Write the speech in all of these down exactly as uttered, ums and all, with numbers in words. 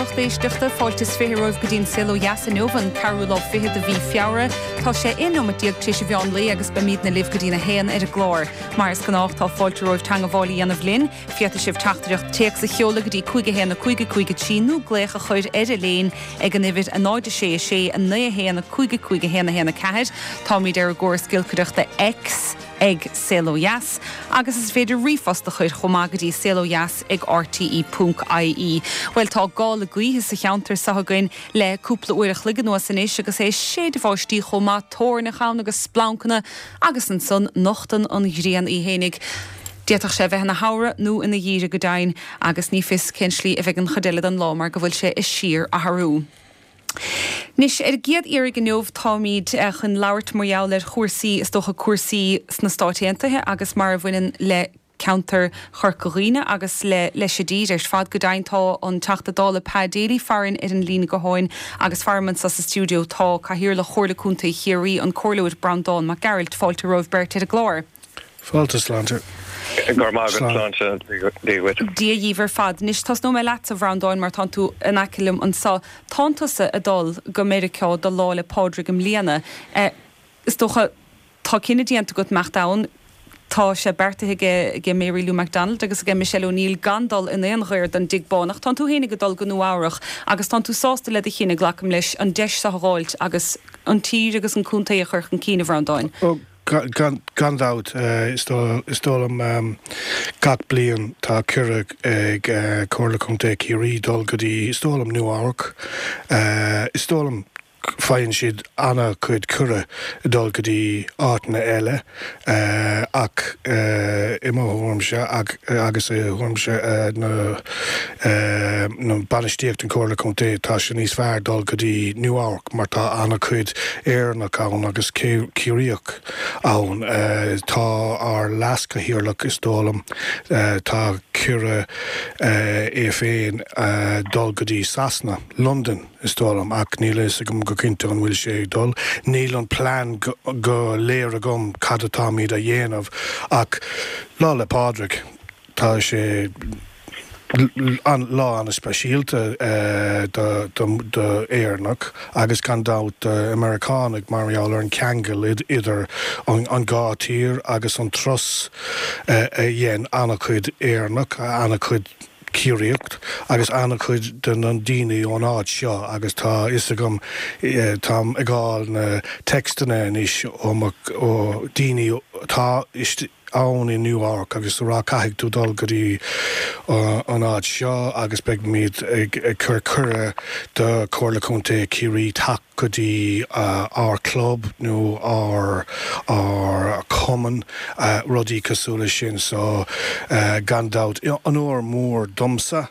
lucht éisteachta fáilte is fiche romhaibh go dtí an Saol Ó Dheas inniu an ceathrú lá fichead de mhí Feabhra, Tá sé aon nóiméad déag tar éis an mheán lae agus beimidne libh go dtína haon ar an gclár. Mar is gnách tá fáilte romhaibh teagmháil a dhéanamh linn, féadfaidh sibh teachtaireacht téacs a sheoladh go dtí cúig a haon a cúig a cúig a trí nó glaoch a chur ar an líne ag an uimhir a náid a sé a sé a naoi a haon a cúig a cúig a haon a haon a ceathair. Táimid ar an gcóras giolcaireachta X ag Saol Ó Dheas, agus is féidir ríomhphost a chur chomh maith go dtí saolodheas ag RTE ponc IE. Well tá gála gaoithe sa cheantar seo againn le cúpla uair a chloig anuas anois agus é séideadh báistí chomh maith toirneach ann agus splancanna agus ansan nochtann an ghrian í fhéinig. D'fhéadfadh sé bheith ina shamhradh nó ina gheimhreadh go deimhin agus ní fios cén slí a bheidh an chuid eile den lá mar go bhfuil sé ag síorathrú. Anois ar an gcéad iarraidh inniu táimid eh, chun labhairt mar gheall ar chúrsaí is dócha cúrsaí sna Stáit Aontaithe agus mar a bhaineann le ceantar Chorca Dhuibhne agus le leis an dtír ar fad go deimhin tá an Teachta Dála Pa Daly farainn ar an líne gutháin agus faram anseo sa stiúideo tá Cathaoirleach Chomhairle Contae Chiarraí an Comhairleoir Breandán Mac Gearailt fáilte romhaibh beirt ar an gclár. Fáilte sláinte. sláinte Dia dhaoibh ar fad. Anois tosnóidh mé leat a Bhreandáin mar tá tú in aice liom anseo. Tá tusa ag dul go Meiriceá do Lá 'le Pádraig i mbliana. Eh, is dócha tá cinneadh déanta agat imeacht ann, tá sé beartaithe ag Mary Lou McDonald agus ag Michelle O'Neill gan dul in aon chor don Tigh Bán ach tá tú féin ag dul go Nua-Eabhrac agus tá tú sásta le do chinneadh glacaim leis an deis seo a fháilt agus an tír agus an contae a chur chun cinn a Bhreandáin. Gan gan dabht is dóigh liom gach bliain tá cuireadh ag Comhairle Contae Chiarraí dul go dtí is dóigh liom Nua-Eabhrac. Is dóigh liom faigheann siad an-chuid cuireadh dul go dtí áiteanna eile ach i mo thuairimse agus i thuairimse na na bainistíocht an Comhairle Contae tá sé níos fearr dul go dtí Nua-Eabhrac mar tá an-chuid Éireannach ann agus Ciarraíoch ann. Tá ár leaschathaoirleach is dóigh liom tá cuireadh é féin dul go dtí Sasana, London is dóigh liom ach níl a fhios agam go cinnte an bhfuil sé ag dul. Níl an plean go léir agam cad atáimid a dhéanamh ach Lá 'le Pádraig tá sé an lá an-speisialta do Éireannach agus gan dabht Meiriceánaigh mar gheall ar an ceangal idir an dhá tír agus an turas a dhein an-chuid Éireannach an-chuid Ciarraíoch agus an-chuid de na daoine ón áit seo agus tá a fhios agam táim ag fáil na téacsanna anois ó ó daoine atá ann i Nua-Eabhrac agus rá caithfidh tú dul go dtí an áit seo agus beimid ag ag cur cuireadh do Chomhairle Contae Chiarraí teacht go dtí ár club nó ár ár cumann rudaí cosúil leis sin so gan dabht onóir mór domsa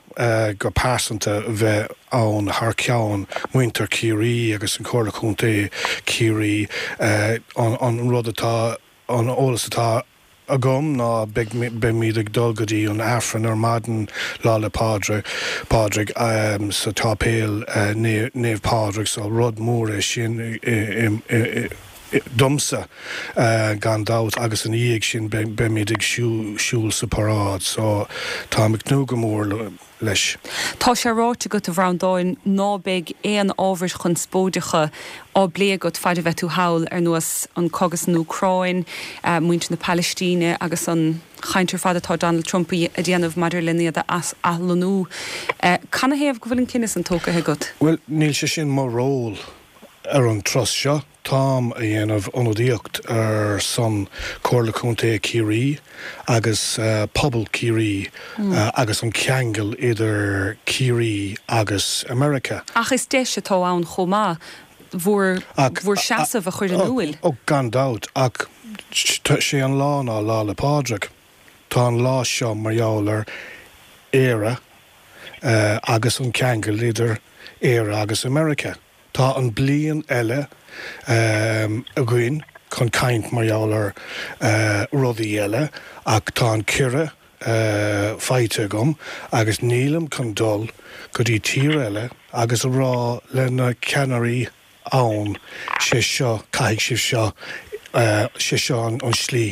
go pearsanta bheith ann thar ceann muintir Chiarraí agus an Comhairle Contae Chiarraí an an rud atá an eolas atá agam ná beimid ag dul go dtí an Aifreann ar maidin Lá 'le Pádraig Pádraig um, sa tséipéal uh, Naomh Pádraig so rud mór é sin domsa uh, gan dabht agus ina dhiaidh sin beimid ag siúl sa paráid so tá ag tnúth go mór leis. Tá sé ráite agat a Bhreandáin ná beidh aon ábhair chonspóideacha á bplé agat fad a bheidh tú thall ar nós an cogadh san Úcráin, uh, muintir na Palaistíne agus an chaint ar fad atá Donald Trump a dhéanamh maidir le iad a athlonnú. Uh, Canathaobh go bhfuil an cinneadh sin tógtha agat? Well, níl sé sin mo ról ar an turas seo. Táim a dhéanamh ionadaíocht ar son Comhairle Contae Chiarraí agus uh, pobal Chiarraí mm. uh, agus an ceangal idir Ciarraí agus America. Ach is deis atá ann chomh maith bhur bhur seasamh a chur in iúl. Ó gan dabht ach sé an lá ná Lá 'le Pádraig. Tá an lá seo mar gheall ar Éire uh, agus an ceangal idir Éire agus America. Tá an bliain eile um, againn chun caint mar gheall ar uh, rudaí eile ach tá an cuireadh uh, faighte agam agus nílim chun dul go dtí tír eile agus a rá le na ceannairí ann sé seo caithfidh sibh seo uh, sé seo an, an slí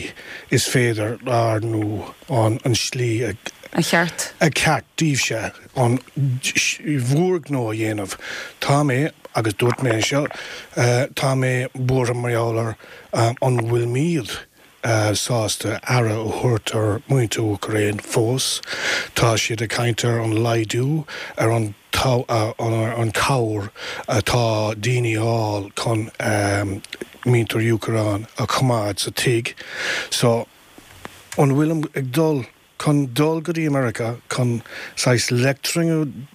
is féidir ar nó an, an slí a, A cheart. A ceart daoibhse an bhur ngnó a dhéanamh. Tá mé, agus dúirt mé anseo, tá mé buartha mar gheall ar an bhfuilimid sásta aire a thabhairt ar mhuintir Úcráin fós. Tá siad ag caint ar an laghdú ar an an cabhair atá daoine a fháil chun muintir Úcráin a choimeád sa tigh. So, an bhfuilim ag dul chun dul go dtí America chun saghas lecturing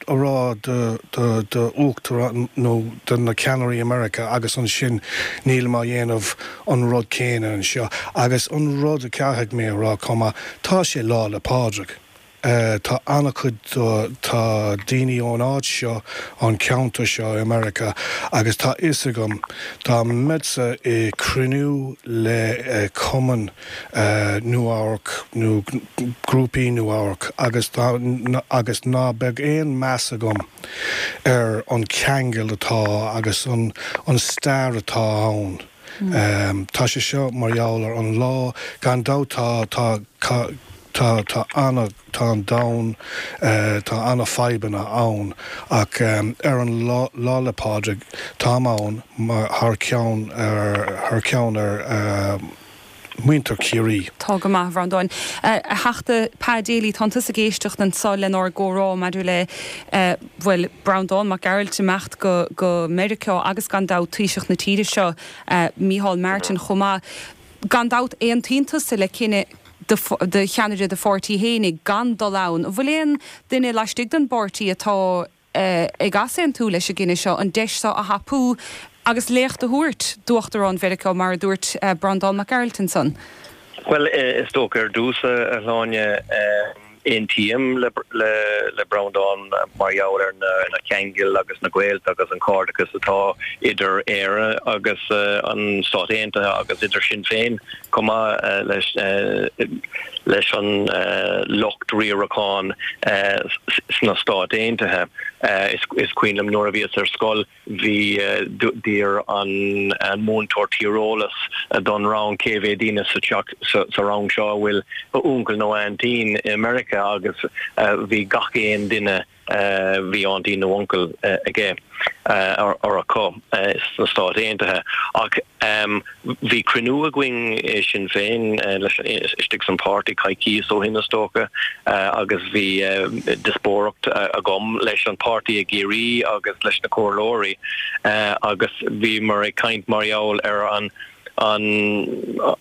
a rá do do do uachtarán nó do na ceannairí America agus ansin nílim á dhéanamh an rud céanna anseo. Agus an rud a caithfidh mé a rá chomh maith, tá sé Lá 'le Pádraig. Tá an-chuid tá daoine ón áit seo, ón ceantar seo i America agus tá fhios agam dá mbeadsa i cruinniú le cumann Nua-Eabhrac nó grúpaí Nua-Eabhrac agus agus ná beadh aon meas agam ar an ceangal atá agus an an stair atá ann. Tá sé seo mar gheall ar an lá gan dabht tá tá Tá, tá ana, tá an domhan, tá ana fadhbanna ann ach ar an lá, Lá 'le Pádraig, táim ann mar, thar ceann ar, thar ceann ar muintir Chiarraí. Tá go maith, a Bhreandáin. A Theachta Pa Daly, tánn tusa ag éisteacht anso lenár gcomhrá maidir le, bhuel, Breandán Mac Gearailt imeacht go, go Meiriceá agus gan dabht Taoiseach na tíre seo, Micheál Martin chomh maith. Gan dabht, aontaíonn tusa le cinneadh do cheannaire do pháirtí fhéinig gan dul ann. An bhfuil aon duine laistigh den bpáirtí atá ag easaontú leis an gcinneadh seo an deis seo a thapú agus léacht a thabhairt d'Uachtarán Mheiriceá mar a dúirt Breandán Mac Gearailt ansan? Bhuel, is dócha ar dtús, a Shláine, Aontaím le Breandán mar gheall ar na ceangail agus na gaolta agus an cairdeachas atá idir Éire agus an Stát Aontaithe agus idir Sinn Féin chomh maith leis an lucht riaracháin sna Stáit Aontaithe. Is cuimhin liom nuair a bhíos ar scoil, Bhí, d'iarr an múinteoir tíreolas don rang cé mhéad daoine sa teach, sa rang seo a bhfuil uncail nó aintín i Meiriceá agus bhí gach aon duine, bhí aintín nó uncail aige or acu sna Stáit Aontaithe. Ach bhí cruinniú againn i Sinn Féin leis, istigh san páirtí coicíos ó shin is dócha agus bhí diospóireacht agam leis an páirtí i gCiarraí agus leis na comhairleoirí agus bhíomar ag caint mar gheall ar an an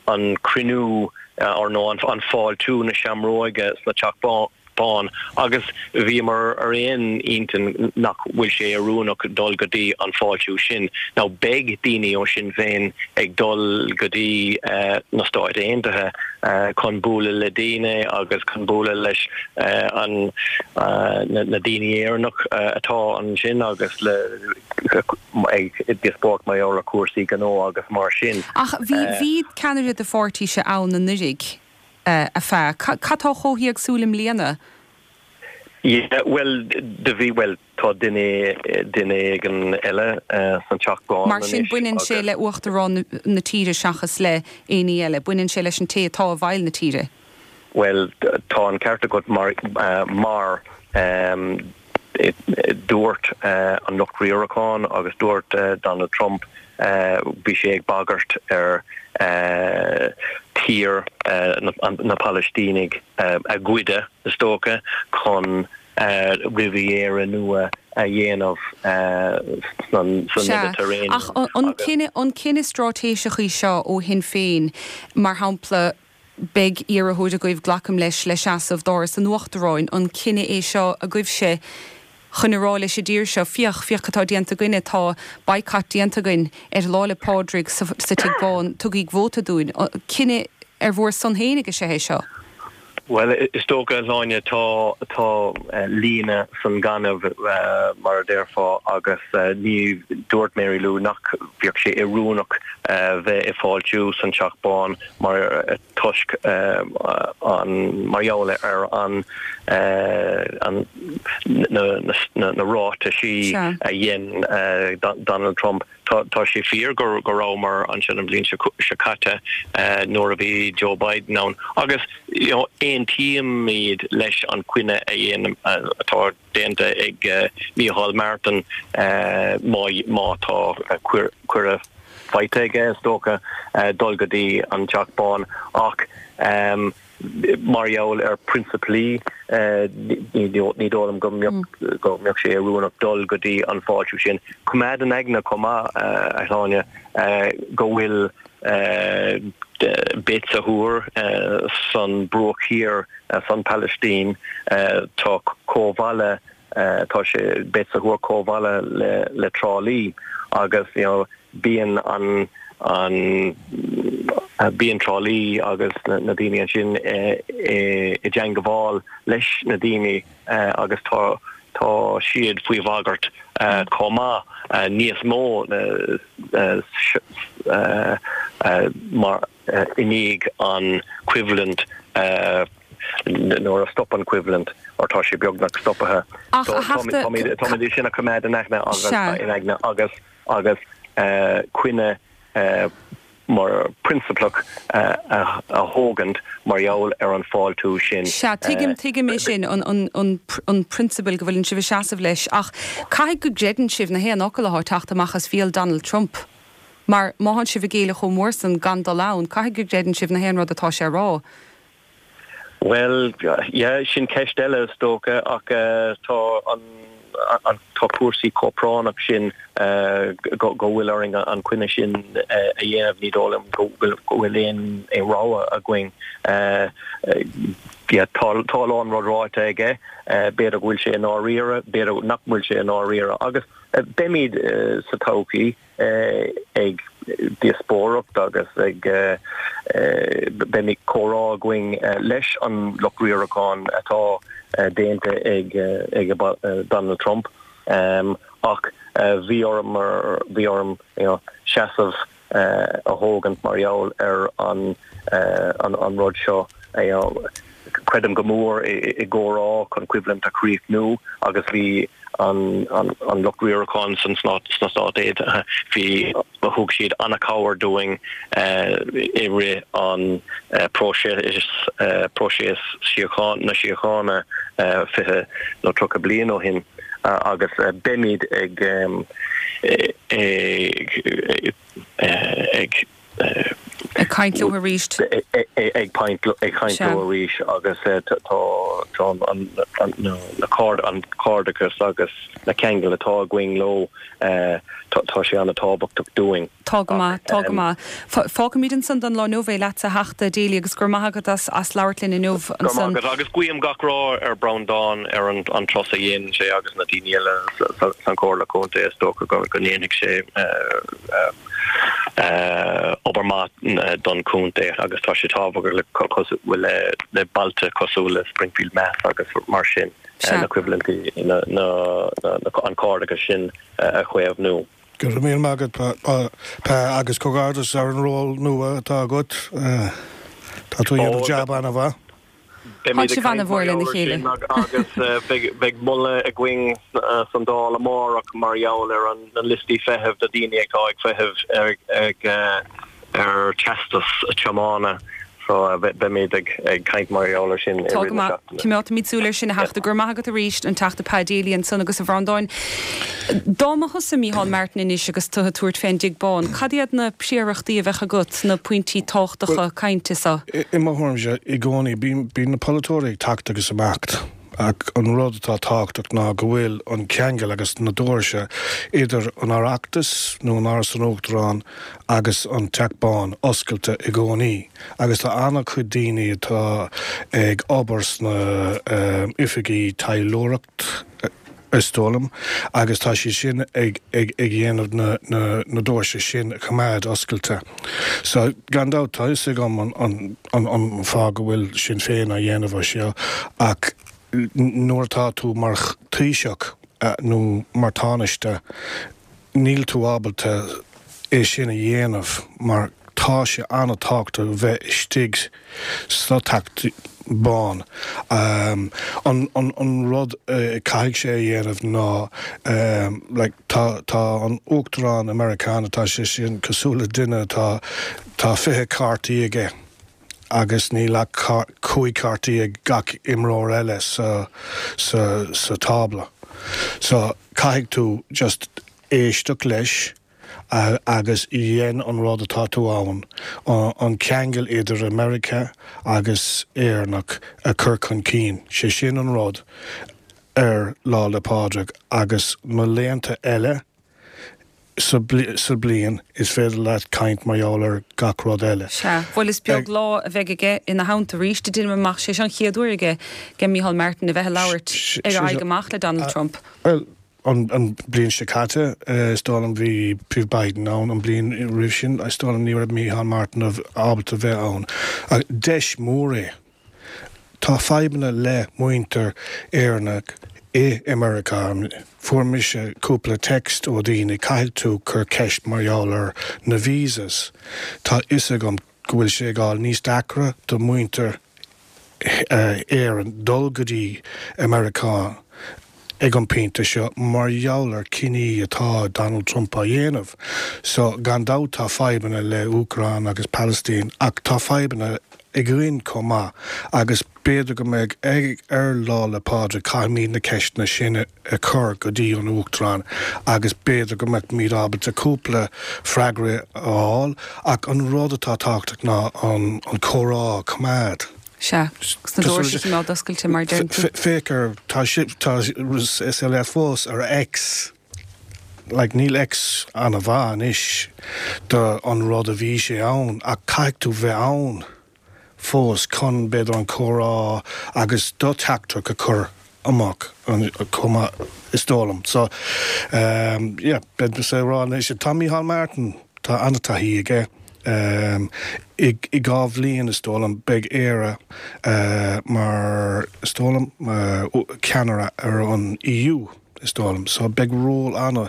an cruinniú or nó an fáiltiú na seamróige sna Teach Bán. Bán, agus bhíomar ar aon intinn nach bhfuil sé oiriúnach dul go dtí an fáiltiú sin. Now beidh daoine ó Sinn Féin ag dul go dtí na Stáit Aontaithe chun bualadh le daoine agus chun bualadh leis an na daoine Éireannach atá ansin agus le ag díospóireacht mar gheall ar cúrsaí gnó agus mar sin. Ach bhí bhí ceannaire do pháirtíse ann anuraidh. a Pha. Cad tá chomh héagsúil i mbliana? Yeah, bhuel, do bhí, bhuel, tá duine, duine éigin eile san Teach Bán Mar sin, baineann sé le Uachtarán na tíre seachas le éinní eile? Baineann sé leis an té atá i bhfeighil na tíre? Bhuel, tá an ceart agat mar, mar dúirt an lucht riaracháin agus dúirt Donald Trump, Bhí sé ag bagairt ar thír na Palaistínigh a ghoideadh, is dócha, chun Riviera nua a dhéanamh san Sea, ach an cinneadh straitéiseach í seo ó Shinn Féin, mar shampla, beidh iarrthóir agaibh, glacaim leis, le seasamh d'Áras an Uachtaráin, an cinneadh é seo agaibhse chun a rá leis an dtír seo, féach, féach cad tá déanta againne, tá boycott déanta againn ar Lá 'le Pádraig sa Tigh Bán, tugaigí vóta dúinn. Cinneadh ar bhur son fhéinig is ea é seo? Bhuel, is dócha, a Shláine, tá, tá líne san gaineamh, mar a déarfá, agus ní, dúirt Mary Lou nach bheadh sé oiriúnach bheith ag fáiltiú san Teach Bán mar, toisc an, mar gheall ar an, an, na, na, na ráitisí a dhein Donald Trump. Tá sé fíor go go rabhamar ansin an bhliain seo caite nuair a bhí Joe Biden ann agus you know aontaímid leis an coinne a dhéanamh atá déanta ag Micheál Martin má má tá cuireadh faighte aige is dócha dul go dtí an Teach Bán ach um, mar gheall ar prionsaplaí ní dóigh liom go mbeadh go mbeadh sé oiriúnach dul go dtí an fáiltiú sin. Coimeád in aigne chomh maith a Shláine go bhfuil Beit Sahour san Bruach Thiar san Palaistín tá comhbhaile tá sé Beit Sahour comhbhaile le le Trá Lí agus you know bíonn an an bíonn Trá Lí agus na daoine ansin i dteangmháil leis na daoine agus tá tá siad faoi bhagairt chomh maith níos mó mar i ndiaidh an coimhlint nuair a stop an coimhlint or tá sé beagnach stoptha. Táimid sin a choimeád in aigne agus in aigne agus agus coinne mar prionsaplach a thógaint mar gheall ar an fáiltiú sin. Sea, tuigim, tuigim é sin, an, an, an, an prionsabal go bhfuileann sibh ag seasamh leis, ach caithfidh go gcreideann sibh na haon fhocal atá ag teacht amach as béal Donald Trump. Mar má thánn sibh ag géilleadh chomh mór san gan dul ann, caithfidh go gcreideann sibh na haon rud atá sé a rá. Bhuel, yeah, sin ceist eile is dócha, ach tá an an tá cúrsaí chomh práinneach sin go bhfuil orainn an coinne sin a dhéanamh, ní dóigh liom go bhfuil aon rogha againn. Tá a lán rud ráite aige, b'fhéidir go bhfuil sé i ndáiríre, b'fhéidir nach bhfuil sé i ndáiríre agus beimid sa todhchaí ag díospóireacht agus ag beimid comhrá againn leis an lucht riaracháin atá déanta ag ag Donald Trump ach bhí orm bhí orm you know seasamh a thógaint mar gheall ar an an rud seo you know creidim go mór i gcomhrá chun coimhlint a chríochnú agus bhí an an lucht riaracháin san sna Stáit Aontaithe, bhí, thug siad an-chabhair dúinn i rith an próiseas próiseas síocháin na síochána fiche nó tríocha bliain ó shin agus beimid ag ag ag Ag caint leo arís. Ag caint leo arís agus tá an cairdeachas agus na ceangail atá againn leo, tá sé an-tábhachtach dúinn. Tá go maith, tá go maith. Fágfaimid ansan don lá inniu é leatsa a Theachta Daly agus go raibh maith agat as labhairt linn inniu ansan. Go raibh maith agat agus guím gach rath ar Breandán ar an turas a dhéanann sé agus na daoine eile san Chomhairle Contae is dócha go ndéanfaidh sé obair maith don chontae agus tá sé tábhachtach le le bailte cosúil le Springfield Meath agus mar sin na coimhlintí an cairdeachas sin a chaomhnú. Go raibh míle maith agat Pa agus comhghairdeas ar an ról nua atá agat. Tá tú ag déanamh jab an-mhaith. Tá sibh an-mhór lena chéile. Agus beidh moladh againn san Dáil amárach mar gheall ar na liostaí feithimh do daoine atá ag feitheamh ar teastas tiomána so beimid ag caint mar gheall ar sin i Tá rith go na maith. seachtaine. Coimeádfaimid súil air sin a Theachta. Go raibh maith agat arís, an Teachta Pa Daly ansan agus a Bhreandáin. Dá mba thusa Micheál Martin anois agus tú ag tabhairt fén dTigh Bán, cad iad na príorachtaí a bheadh agat, na pointí tábhachtacha cainte so? I mo thuairimse, i gcónaí, bíonn na polaiteoirí ag teacht agus imeacht, ach an rud atá tábhachtach ná go bhfuil an ceangal agus na doirse idir an Oireachtas nó an Áras an Uachtaráin agus an Teach Bán oscailte i gcónaí. Agus tá an-chuid daoine atá ag obair sna oifigí taidhleoireacht, is dóigh liom, agus tá siad sin ag dhéanamh na doirse sin a choimeád oscailte. So, gan dabht, tá fhios agam an fáth go bhfuil Sinn Féin á dhéanamh é seo, ach nuair atá tú mar Thaoiseach nó mar Tánaiste, níl tú ábalta é sin a dhéanamh mar tá sé an-tábhachtach bheith istigh sa Teach Bán. Um, an, an, an rud uh, caithfidh sé a dhéanamh ná um, like, tá, tá an Uachtarán Meiriceánach tá sé sin cosúil le duine tá tá fiche cártaí aige agus níl ach cúig cártaí ag gach imreoir eile sa, sa, sa tábla. So caithfidh tú just éisteacht leis agus dhéan an rud atá tú ann an ceangal idir America agus Éireannach a chur chun cinn. sé sin an rud ar Lá 'le Pádraig agus na laethanta eile sa bliain is féidir leat caint mar gheall ar gach rud eile. Sea, bhuel is beag lá a bheidh aige ina theannta arís déanaim amach sé an chéad uair aige aige Micheál Martin a bheith ag labhairt ar aghaidh amach le Donald Trump. Well, an, an bliain seo caite is dóigh liom bhí bhí Biden ann an bliain roimh sin is dóigh liom ní raibh Micheál Martin ábalta bheith ann. Deis mór é. Tá fadhbanna le muintir Éireannach i America. Fuair mise cúpla text ó daoine caithfidh tú cur ceist mar gheall ar na visas. Tá fhios agam go bhfuil sé ag dul níos deacra do muintir Éireann dul go dtí America ag an bpointe seo mar gheall ar cinní atá Donald Trump á dhéanamh. So gan dabht tá fadhbanna le Úcráin agus Palestine ach tá fadhbanna againn chomh maith agus b'fhéidir go mbeidh ag ar Lá 'le Pádraig caithfimid na ceisteanna sin a chur go dtí an Uachtarán agus b'fhéidir go mbeimid ábalta cúpla freagra a fháil ach an rud atá tábhachtach ná an, an comhrá a choimeád. Sea, na doirse ná oscailte mar deir tú. Féach tá tá le fós ar X. Like, níl X an-mhaith anois do an rud a bhí sé ann ach caithfidh tú bheith ann fós chun b'fhéidir an comhrá agus do theachtaireacht a chur amach chomh is dóigh liom. So um, yeah, beidh sé rá tá Micheál Martin tá an-taithí aige. Um, i, i dhá bhliain is dóigh liom beidh Éire uh, mar is dóigh liom uh, ceannaire ar an EU is dóigh liom. So beidh ról ann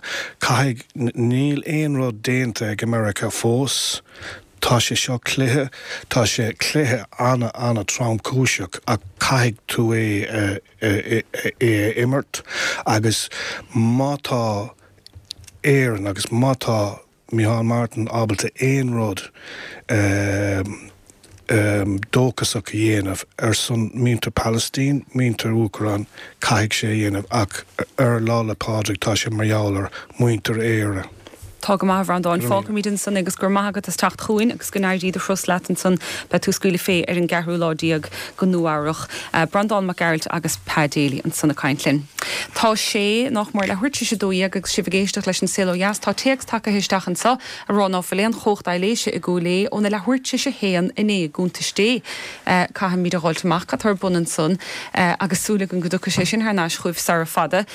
caithfidh níl aon rud déanta ag America fós. Tá sé seo cluiche tá sé cluiche an- an-tromchúiseach ach caithfidh tú é é, é, é imirt agus má tá Éireann agus má tá Micheál Martin ábalta aon rud um, um, dóchasach a dhéanamh ar son muintir Palestine, muintir Úcráin caithfidh sé dhéanamh ach ar Lá 'le Pádraig tá sé mar gheall ar muintir Éire. Tá go maith Bhreandáin fágfaimid ansan agus gur maith agat as teacht chugainn agus go n-éirí do thuras leat ansan beidh tú ag scaoileadh fé ar an gceathrú lá déag go Nua-Eabhrac. Uh, Breandán Mac Gearailt agus Pa Daly ansan ag caint linn. Tá sé nach mór leathuair tar éis a dó dhéag agus sibh ag éisteacht leis an Saol Ó Dheas tá téacs tagtha isteach anseo a rá ná fuil aon chumhacht aibhléise i gCúil Aodha óna leathuair tar éis a haon inné gúntas dé. Uh, Caithfimid a dhul amach atá ar bun ansan uh, agus súil agam go dtiocfaidh sé sin thar n-ais chugaibh sara fada.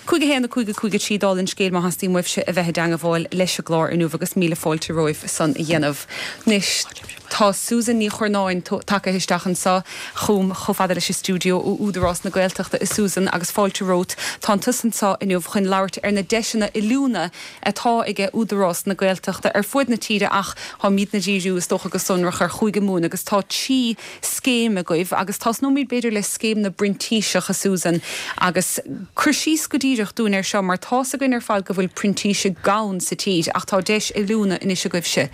Cúig a haon a cúig a cúig a trí dála an scéil má theastaíonn uaibhse a bheith i dteagmháil leis an gclár inniu agus míle fáilte romhaibh san a dhéanamh. Anois tá Susan Ní Churnáin tagtha isteach anseo chugam chomh fada leis an stiúideo ó Údarás na Gaeltachta a Susan agus fáilte romhat Tá tusa anseo inniu chun labhairt ar na deiseanna oiliúna atá ag Údarás na Gaeltachta ar fud na tíre ach táimidne ag díriú is dócha go sonrach ar Chúige Mumhan agus tá trí scéim agaibh agus tosnóimid b'fhéidir le scéim na bprintíseach a Susan agus cur síos go díreach dúinn ar seo mar tá a fhios againn ar fad go bhfuil printísigh gann sa tír ach tá deis oiliúna anois agaibhse.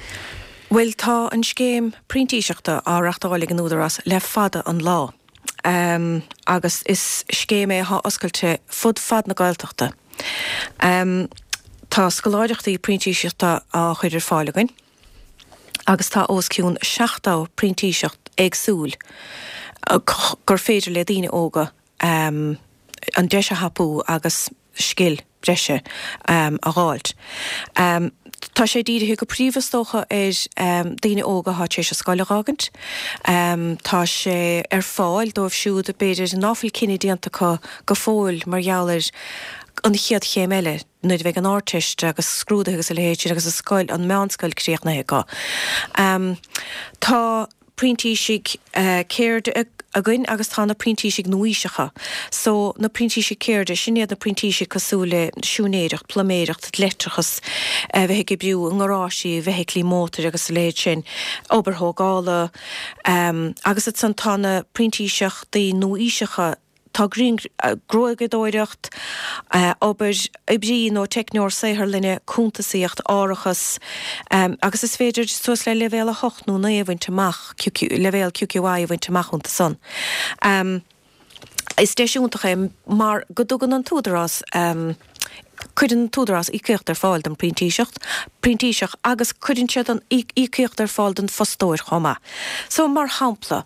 Well tá an scéim printíseachta á reáchtáil ag an Údarás le fada an lá. Um, agus is scéim é atá oscailte fud fad na Gaeltachta. Um, tá scoláireachtaí printíseachta á chur ar fáil againn, agus tá os cionn seachtó printíseacht éagsúil gur féidir le daoine óga um, an deis a thapú agus scil breise um, a fháilt. Um, Tá sé dírithe go príomha is dócha ar um, daoine óga atá tar éis an scoil a fhágaint. Um, tá sé ar fáil dóibh siúd b'fhéidir nach bhfuil cinneadh déanta acu go fóill mar gheall ar an chéad chéim eile nuair a bheidh an Ardteist agus scrúduithe agus a leithéid agus a scoil an meánscoil críochnaithe acu. Um, tá printísigh uh, ceirde againn agus tá na printísigh nua-aoiseacha. So, na printísigh ceirde, sin iad na printísigh cosúil le siúinéireacht, pluiméireacht, leictreachas, a bheith ag oibriú i ngaráistí feithiclí mótair agus a leithéid sin, obair thógála, agus ansan tá na printíseachtaí nua-aoiseacha, Tá gruaigeadóireacht, obair oibrí nó teicneoir saotharlainne, cuntasaíocht, árachas, agus is féidir suas le leibhéal a hocht nó naoi a bhaint amach, leibhéal QQI a bhaint amach iontu san. Is deis iontach é mar go dtugann an tÚdarás, Cuireann an tÚdarás íocaíocht ar fáil don phrintíseacht, printíseach agus cuireann siad an íocaíocht ar fáil don fostóir chomh maith. So, mar shampla,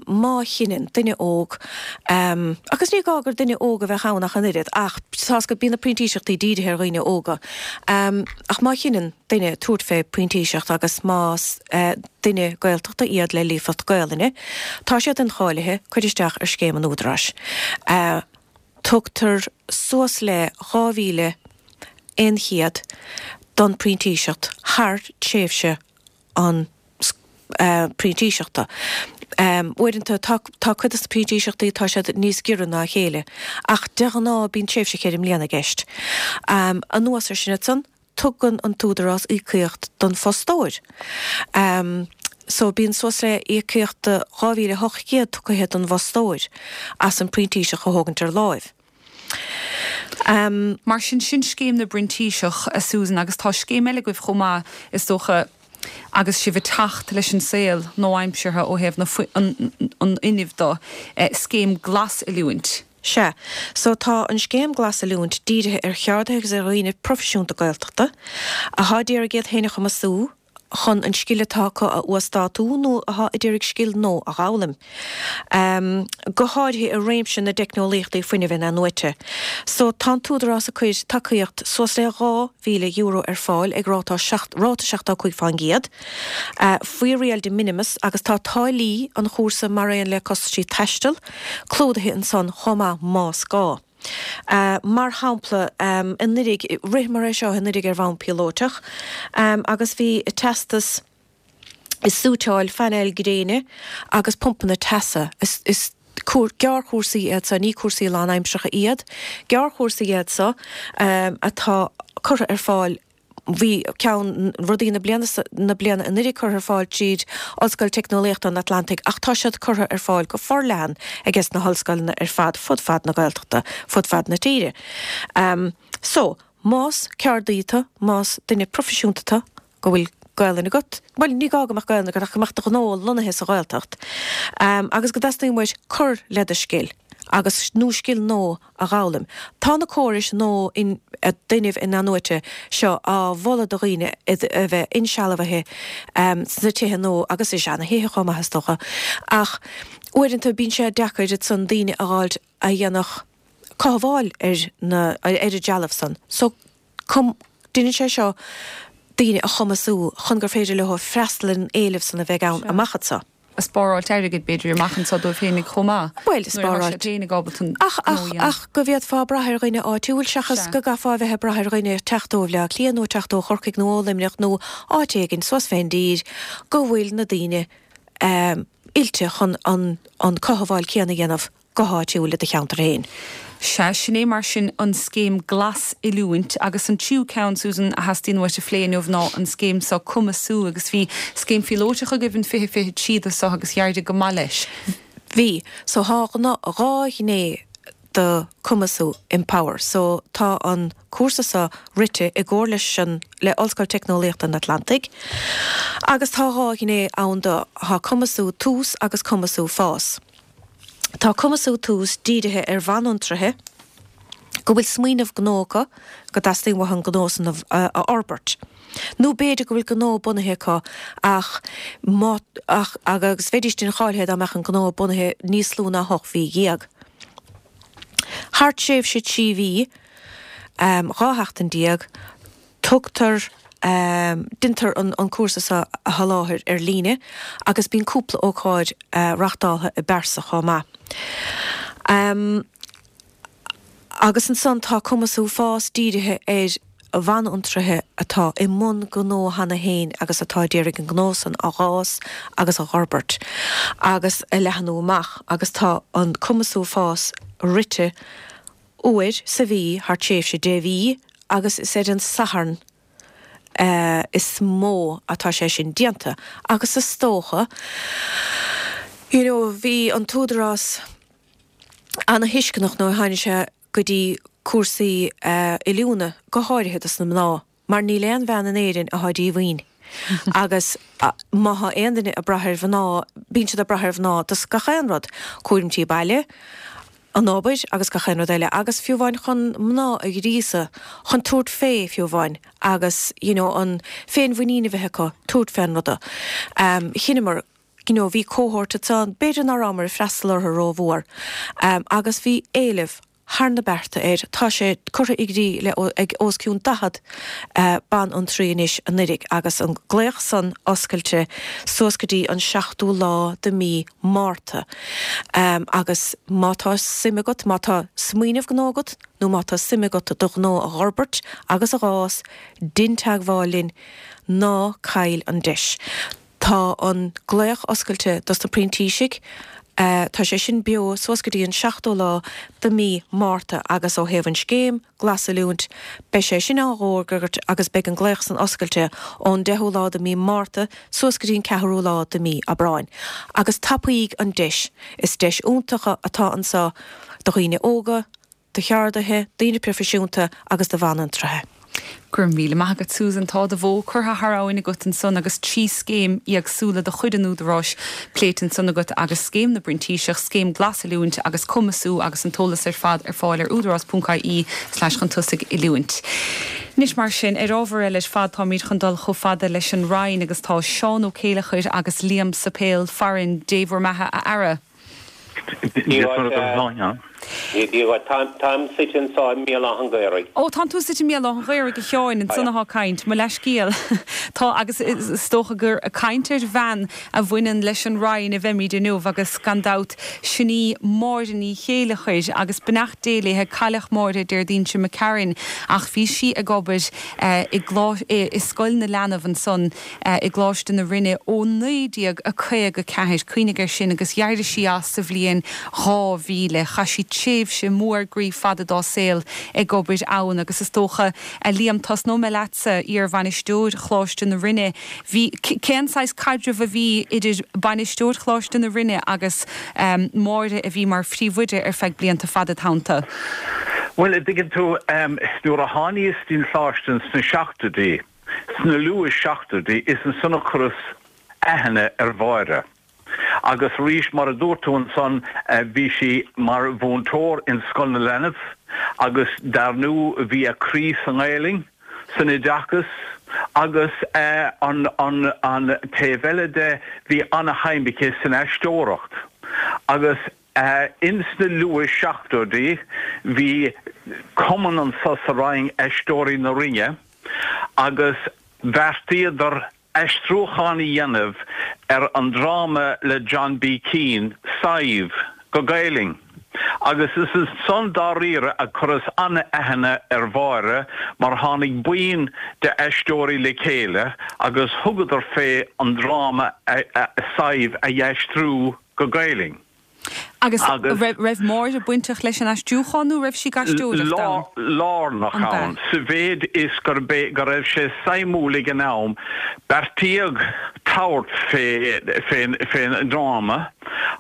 má chinneann duine óg, agus ní gá gur duine óg a bheadh ann ach an oiread, ach tá's agat bíonn na printíseachtaí dírithe ar dhaoine óga, ach má chinneann duine tabhairt fé printíseacht agus más duine Gaeltachta iad le líofacht Gaolainne, tá siad incháilithe cur isteach ar scéim an Údaráis. Tugtar suas le dhá mhíle aon chéad don phrintíseacht thar tréimhse an phrintíseachta. Uaireanta tá tá cuid de na printíseachtaí tá siad níos giorra ná a chéile, ach de ghnáth bíonn tréimhse cheithre mbliana i gceist. Anuas ar sin ansan, tugann an tÚdarás íocaíocht don fostóir. So bíonn suas le íocaíocht de dhá mhíle hocht gcéad tugtha don bhfostóir as an printíseach a thógaint ar láimh. Mar sin, sin scéim na bprintíseach, a Susan, agus tá scéim eile agaibh chomh maith, is dócha, agus sibh ag teacht leis an saol nua-aimseartha ó thaobh an fhuinnimh de, scéim glas-oiliúint. Sea. So tá an scéim Glas-Oiliúint dírithe ar cheardaithe agus ar dhaoine proifisiúnta Gaeltachta athá d'iarraidh iad féin a chumasú chun an scil atá acu a uasdátú nó athá a d'iarraidh scil nua a dh'fhoghlaim, go háirithe i réimse na dteicneolaíochtaí fuinnimh in-athnuaite. So tá an tÚdarás ag cuir tacaíocht suas le dhá mhíle euro ar fáil ag ráta ráta seachtó cúig fán gcéad faoi riail de minimis agus tá táillí an chúrsa mar aon le costaisí taistil clúdaithe ansan chomh maith más gá. Mar shampla, anuraidh, ritheamar é seo anuraidh ar bhonn píolótach agus bhí teastas i suiteáil phainéil gréine agus pumpanna teasa. Is gearrchúrsaí iad seo, ní cúrsaí lánaimseartha iad, gearrchúrsaí iad seo atá curtha ar fáil. Bhí ceann rudaí na bliana na bliana anuraidh curtha ar fáil tríd Ollscoil Teicneolaíochta an Atlantaigh ach tá siad curtha ar fáil go forleathan ages na hollscoileanna ar fad fud fad na Gaeltachta, fud fad na tíre. So, más ceardaí tú, más duine proifisiúnta tú, go bhfuil Gaelainn agat, bhuel ní gá go mbeadh Gaelainn agat ach go mbeadh do ghnó lonnaithe sa Ghaeltacht, agus go dteastaíonn uait cur le do scil, agus nó scil nua a dh'fhoghlaim. Tá na córais nua d'fhuinneamh in-athnuaite seo á mholadh do dhaoine a bheith insealbhaithe sna tithe nua agus i seana-thithe chomh maith is dócha, ach uaireanta bíonn sé deacair ansan daoine a dh'fháilt a dhéanfadh cothabháil ar na ar an dtrealamh san. So déanann sé seo daoine a chumasú chun gur féidir leo freastal ar an éileamh san a bheidh ann amach anseo. Spáráilt airgid, b'fhéidir, amach anseo dóibh féinig chomh maith. Bhuel, spáráilt. Nuair atá siad féinig ábalta an Ach, ach, ach go bhféadfá brath ar dhuine áitiúil seachas Sea. go gcaithfeá a bheith ag brath ar dhuine teacht ó Bhleá Cliath nó teacht ó Chorcaigh nó ó Luimneach nó áit éigin suas fén dtír go bhfuil na daoine oilte chun an, an cothabháil céanna a dhéanamh. go háitiúil i do cheantar féin. Sea, sin é mar sin an scéim Glas-Oiliúint agus an tríú ceann, Susan, a theastaíonn uait a phlé inniu ná an scéim seo Cumasú agus bhí scéim phíolótach agaibh in fiche fiche trí do seo agus d'éirigh go maith leis. Bhí. So thá dhá ghné do Cumasú, Empower. So tá an cúrsa seo rite i gcomhar leis an le Ollscoil Teicneolaíochta an Atlantaigh agus tá dhá ghné ann do, thá Cumasú Tús agus Cumasú Fás. Tá Cumasú Tús dírithe ar bhanfhiontraithe go bhfuil smaoineamh gnó acu, go dteastaíonn uathu an gnó san a fhorbairt. Nó b'fhéidir go bhfuil gnó bunaithe acu ach má ach agus bheidís incháilithe dá mbeadh an gnó bunaithe níos lú ná hocht mhí dhéag. Thar tréimhse trí mhí, dhá sheachtain déag, Tugtar, déantar an cúrsa seo a sholáthar ar líne agus bíonn cúpla ócáid reachtáltha i bpearsa chomh maith. Agus ansan tá Cumasú Fás dírithe ar bhanfhiontraithe atá i mbun gnó cheana féin agus atá ag iarraidh an gnó san a dh'fhás agus a dh'fhorbairt agus a leathnú amach agus tá an Cumasú Fás rite uair sa mhí thar tréimhse deich mhí agus is ar an Satharn is mó atá sé sin déanta agus is dócha you know bhí an tÚdarás ana-thuisceanach nuair a tháinig sé go dtí cúrsaí oiliúna, go háirithe dos na mná, mar níl aon bhean in Éirinn atá díomhaoin. Agus má thá aon duine ag brath ar mhná, bíonn siad ag brath ar mhná dos gach aon rud, cúram tí baile, an obair agus gach aon rud eile, agus fiú amháin chun mná a ghríosadh chun tabhairt fé fiú amháin agus you know an féinmhuinín a bheith acu tabhairt fén ruda. Chinneamar you know bhí cohort ansan, b'fhéidir ná rabhamar ag freastal orthu rómhór, agus bhí éileamh thar na bearta air. Tá sé curtha i gcrích le ag os cionn daichead banfhiontraí anois anuiridh agus an glaoch san oscailte suas go dtí an seachtú lá de mí Márta. Agus má tá suim agat, má tá smaoineamh gnó agat nó má tá suim agat do ghnó a dh'fhorbairt agus a dh'fhás, dein teagmháil linn, ná caill an deis. Tá an glaoch oscailte dos na printísigh. Tá sé sin beo suas go dtí an seachtú lá de mí Márta agus ó thaobh an scéim Glasoiliúint, beidh sé sin á dh'fhógairt agus beidh an glaoch san oscailte ón deichiú lá de mí Márta suas go dtí an ceathrú lá de mí Aibreáin. Agus tapaíg an deis. Is deis iontach atá anseo do dhaoine óga, do cheardaithe, daoine proifisiúnta agus do bhanfhiontraithe. Go raibh míle maith agat Susan, tá do bhó curtha thar abhainn agat ansan agus trí scéim éagsúla de chuid an Údaráis pléite ansan agat agus Scéim na bPrintíseach, Scéim Glasoiliúint agus Cumasú agus an t-eolas ar fad ar fáil ar údarás ponc ie slash chun tosaigh oiliúint. Anois mar sin, ar ábhar eile ar fad táimid chun dul chomh fada leis an Rinn agus tá Seán Ó Céileachair agus Liam Suipéil farainn, Dé bhur mbeatha a fheara. Táim suite anseo i mBéal Átha an Ghaorthaidh. Ó, tánn tú suite i mBéal Átha an Ghaorthaidh, a Sheáin, ansan athá caint, mo leathscéal. Tá, agus is dócha gur ag caint ar bhean a bhaineann leis an Rinn a bheimid inniu agus gan dabht sin í Máire Ní Chéileachair agus beannacht Dé léithe, cailleadh Máire Déardaoin seo imigh tharainn ach bhí sí ag obair i i Scoil na Leanbh ansan i gColáiste na Rinne ó naoi déag a caoga ceathair, cuimhnigh air sin, agus d'éirigh sí as sa bhliain dhá mhíle. Chaith sí tréimhse mór groí fada dá saol ag obair ann agus is dócha, a Liam, tosnóidh mé leatsa, iar-bhainisteoir Choláiste na Rinne, bhí, cén saghas caidreamh a bhí idir bainisteoir Choláiste na Rinne agus Máire a bhí mar phríomhoide ar feadh blianta fada id theannta? Bhuel, a dtuigeann tú, nuair a tháiníos dtí'n Choláiste sna seachtóidí, sna luath-seachtóidí, is ansan a chuireas aithne ar Mháire. Agus arís, mar a dúirt tú ansan, bhí sí mar mhúinteoir in Scoil na Leanbh agus dar ndú bhí a croí sa nGaelainn, san oideachas agus an an taobh eile de bhí ana-shuim aici san aisteoireacht agus ins na luath-seachtóidí bhí cumann anso sa Rinn, Aisteoirí na Rinne, agus bheartaíodar aistriúchán a dhéanamh ar an dráma le John B. Keane, Sadhbh, go Gaelainn. Agus is ansan dáiríre a chuireas an-aithne ar Mháire mar tháinig buíon de aisteoirí le chéile agus thugadar fé an dráma Sadhbh a aistriú go Gaelainn. Agus raibh Máire bainteach leis an aistriúchán nó raibh sí ag aisteoireacht ann? Lárnach ann, sa mhéid is gurb é go raibh sé suimiúil ag an am, beartaíodh tabhairt fén ndráma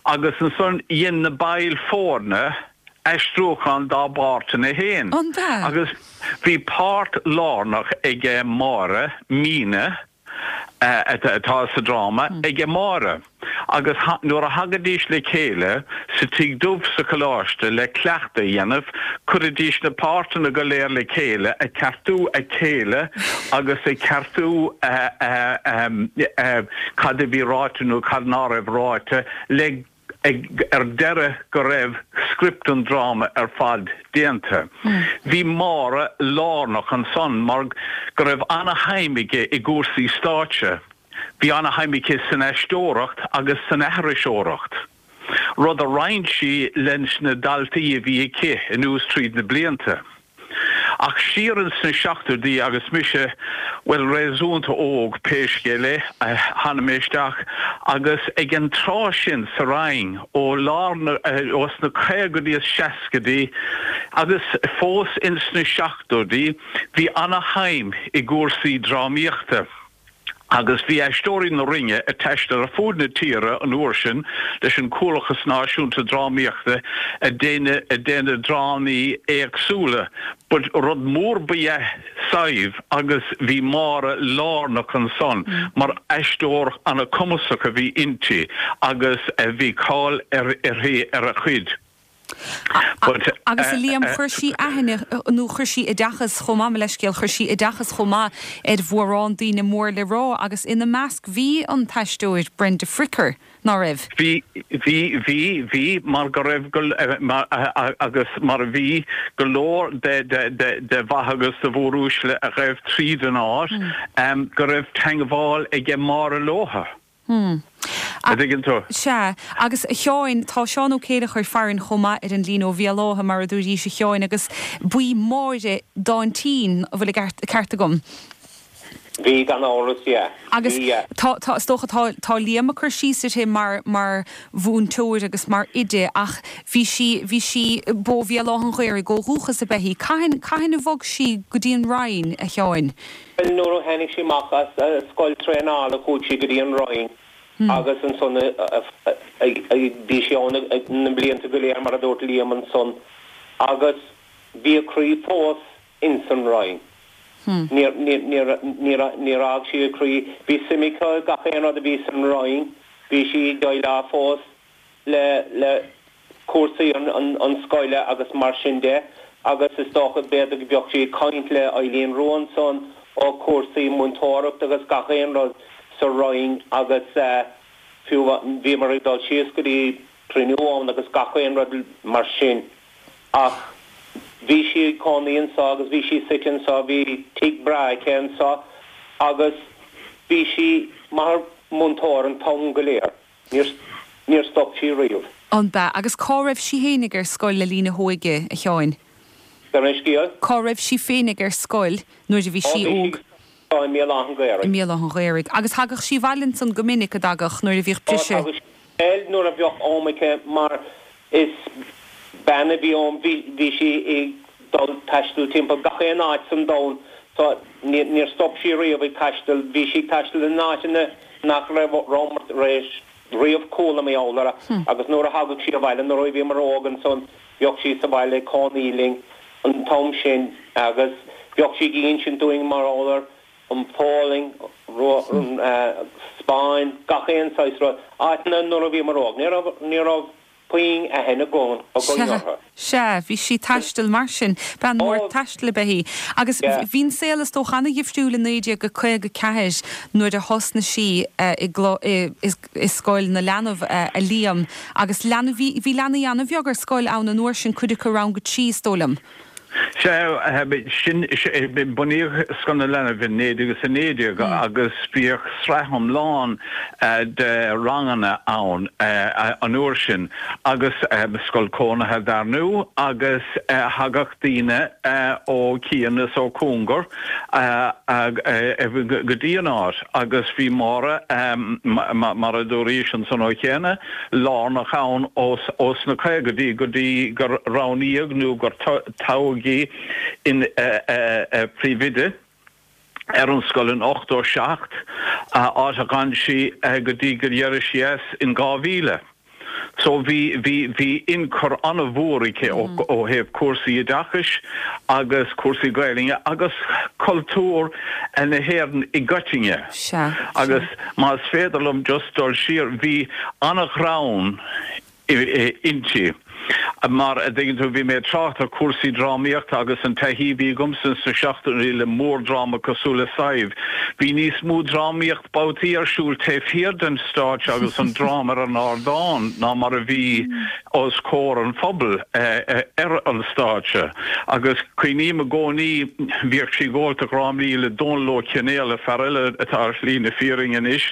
agus ansan dhein na baill foirne aistriúchán dá bpáirteanna féin. Agus bhí páirt lárnach ag Máire, Mina, atá sa dráma ag Máire agus nuair a thagaidís le chéile sa Tigh Dubh sa Choláiste le cleachtadh a dhéanamh, chuiridís na páirteanna go léir le chéile, ag ceartú a chéile agus ag ceartú cad a bhí ráite nó cad ná raibh ráite le ag ar deireadh go raibh script an dráma ar fad déanta. Bhí Máire lárnach ansan mar go raibh ana-shuim aici i gcúrsaí stáitse. Bhí ana-shuim aici san aisteoireacht agus san aithriseoireacht, rud a roinn sí leis na daltaí a bhí aici anuas tríd na blianta. Ach siar ins na seachtóidí agus mise, bhuel, réasúnta óg, pé scéal é, tháinig mé isteach agus ag an tráth sin sa Rinn, ó lár na, ó sna caogaidí is seascaidí agus fós ins na seachtóidí, bhí ana-shuim i gcúrsaí drámaíochta. Agus bhí Aisteoirí na Rinne ag taisteal ar fud na tíre an uair sin leis an Comhlachas Náisiúnta Drámaíochta ag déanamh drámaí éagsúla. But rud mór ba ea Sadhbh agus bhí Máire lárnach ansan mar aisteoir ana-chumasach a bhí inti agus bhí cáil uirthi ar a cuid. Agus a Liam, chuir sí aithne, nó chuir sí oideachas chomh maith, mo leithscéal, chuir sí oideachas chomh maith ar mhórán daoine mór le rá agus ina measc bhí an t-aisteoir Brenda Fricker, ná raibh? Bhí, bhí, bhí, bhí, mar go raibh go, mar, agus mar a bhí go leor de, de, de, de mhaithe agus de mhóruaisle a ghaibh tríd an áit, go raibh teangmháil aige Máire leotha. Hmm. A dtuigeann tú? Sea. Agus a Sheáin, tá Seán Ó Céileachair farainn chomh maith ar an líne ó Bhéal Átha, mar a dúraís, a Sheáin, agus b'í Máire d'aintín, an bhfuil an ceart agam? Bhí, gan amhras, yeah. Agus Bhí, yeah. tá, tá, is dócha, tá, tá Liam ag cur síos uirthi mar, mar mhúinteoir agus mar oide ach bhí sí, bhí sí, b'ó Bhéal Átha an Ghaorthaidh ó dhúchas ab ea í. Cathain, cathain a bhog sí go dtí an Rinn, a Sheáin? Bhuel, nuair a tháinig sí amach as scoil traenála chuaigh sí go dtí an Rinn agus ansan bhí sí ann na blianta go léir mar a dúirt Liam ansan agus bhí a croí fós ins an Rinn. Níor, níor, níor, níor, níor fhág sí a croí. Bhí suim aici i gach aon rud a bhí san Rinn. Bhí sí ag déileáil fós le, le cúrsaí an, an, an scoile agus mar sin de agus is dócha b'fhéidir go bheadh sí ag caint le Eileen Rua ansan ó cúrsaí múinteoireachta agus gach aon rud sa Rinn agus fiú bhíomar ag dul síos go dtí cruinniú ann agus gach aon rud mar sin ach bhí sí ag cónaí anso agus bhí sí suite anso, bhí tigh breá aici anso agus bhí sí mar mhúinteoir an t-am go léir, níor níor stop sí riamh. An b'ea? Agus cá raibh sí fhéinig ar scoil le linn a hóige, a Sheáin? Gabh mo leithscéal? Cá raibh sí féinig ar scoil nuair a bhí sí óg? Ó, bhí sí i mBéal Átha an Ghaorthaidh. I mBéal Átha an Ghaorthaidh. Agus thagadh sí abhaile ansan go minic, a dtagadh, nuair a bhíodh briseadh? Ó, thagadh sí abhaile nuair a bheadh am aici mar is bean a bhí ann, bhí, bhí sí ag dul taisteal timpeall gach aon áit san domhan so níor stop sí riamh ag taisteal, bhí sí ag taisteal in áiteanna nach raibh, rabhamar tar éis riamh chuala mar gheall orthu agus nuair a thagadh sí abhaile, nuair a bhíomar óg ansan, bheadh sí sa bhaile ag cónaí linn an t-am sin agus bheadh sí ag insint dúinn mar gheall ar an Pholainn, an Spáinn, gach aon saghas rud, áiteanna nuair a bhíomar óg, ní raibh, ní raibh puinn aithne againn Sea, orthu. sea, bhí sí ag taisteal mar sin. Bean mhór taistil ab ea í. Agus bhí an saol is dócha ana-dhifriúil i naoi déag caoga ceathair nuair a thosnaigh sí i i Scoil na Leanbh, a Liam. Agus leanbh, bhí, bhí leanaí ana-bheag ar scoil ann an uair sin, cuid acu rang a trí is dóigh liom. Sea, sin, bunaíodh Scoil na Leanbh in naoi déag is a naoi déag agus bhíodh sraith iomlán de ranganna ann an uair sin agus scoil cónaithe dar ndú agus thagadh daoine ó chian is ó chúngar go dtí an áit agus bhí Máire, mar a dúraís ansan ó chéanna, lárnach ann ós na caogaidí go dtí gur roghnaíodh nó gur toghadh í ina príomhoide ar an scoil in ochtó seacht, áit a d'fhan sí go dtí gur d'éirigh sí as in dhá mhíle. So bhí, bhí, bhí ionchur an-mhór aici ó thaobh cúrsaí oideachais agus cúrsaí Gaelainne agus cultúr na hÉireann i gcoitinne. Sea, sea. Agus más féidir liom just dul siar, bhí an-ghreann inti. Mar a dtuigeann tú, bhí mé ag trácht ar chúrsaí drámaíochta agus an taithí a bhí agamsa sna seachtóidí le mórdhráma cosúil le Sadhbh. Bhí níos mó drámaíocht babhtaí ar siúl taobh thiar den stáitse agus an dráma ar an ardán ná mar a bhí os comhair an phobail ar an stáitse. Agus cuimhním i gcónaí, bhíodh sí ag ól dhrámaí le Dónal Ó Cionnaola, fear eile atá ar shlí na fírinne anois,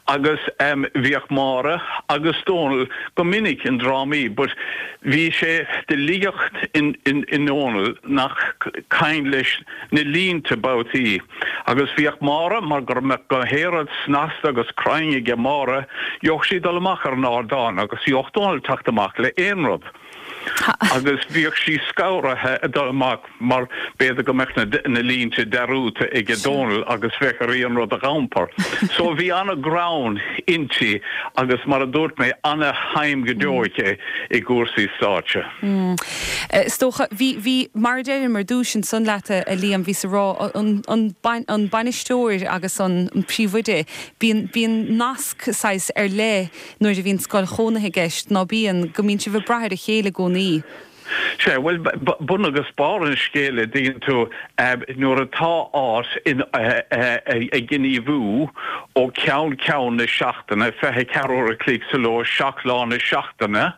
Agus bhíodh Máire agus Dónal go minic i ndrámaí but bhí sé de liacht in i nDónal nach cuimhin leis na línte babhtaí. Agus bhíodh Máire mar go mbeadh go héad snasta agus cruinn aige Máire, gheobhadh sí dul amach ar an ardán agus gheobhadh Dónal teacht amach le aon rud. Agus bhíodh sí scanraithe ag dul amach mar b'fhéidir go mbeadh na na línte dearúdta aige Dónal agus bheadh uirthi an rud a iompar. So bhí an-ghreann inti agus mar a dúirt mé an-shuim go deo aici i gcúrsaí stáitse. Is dócha, bhí, bhí, mar a deirim ar dtús ansan leat a Liam, bhíos ag rá an, an, an bainisteoir agus an, an príomhoide, bíonn, bíonn nasc saghas ar leith nuair a bhíonn scoil chónaithe i gceist, ná bíonn, go mbíonn sibh ag brath ar a chéile i gcónaí. Sea, bhuel, bun agus barr an scéil, a dtuigeann tú, nuair atá áit ag gníomhú ó cheann ceann na seachtaine, fiche ceathair uair a chloig sa ló, seacht lá na seachtaine,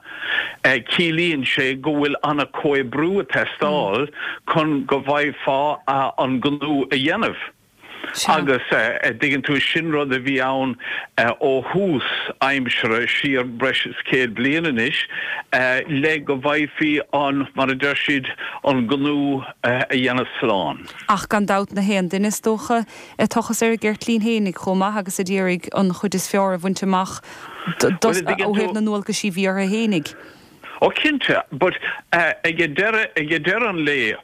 ciallaíonn sé go bhfuil an-chomhoibriú ag teastáil chun go bhfaighfeá an gnó a dhéanamh. Agus a dtuigeann tú, sin rud a bhí ann ó thús aimsire, siar breis is céad bliain anois, le go bhfaighfí an, mar a deir siad, an gnó a dhéanamh slán. Ach gan dabht na haon duine, is dócha, ag tochas ar a gceirtlín fhéinig chomh maith agus a d'iarraidh an chuid is fearr a bhaint amach ó thaobh na ndualgaisí a bhí orthu fhéinig. Ó cinnte, but ag deireadh, ag deireadh an lae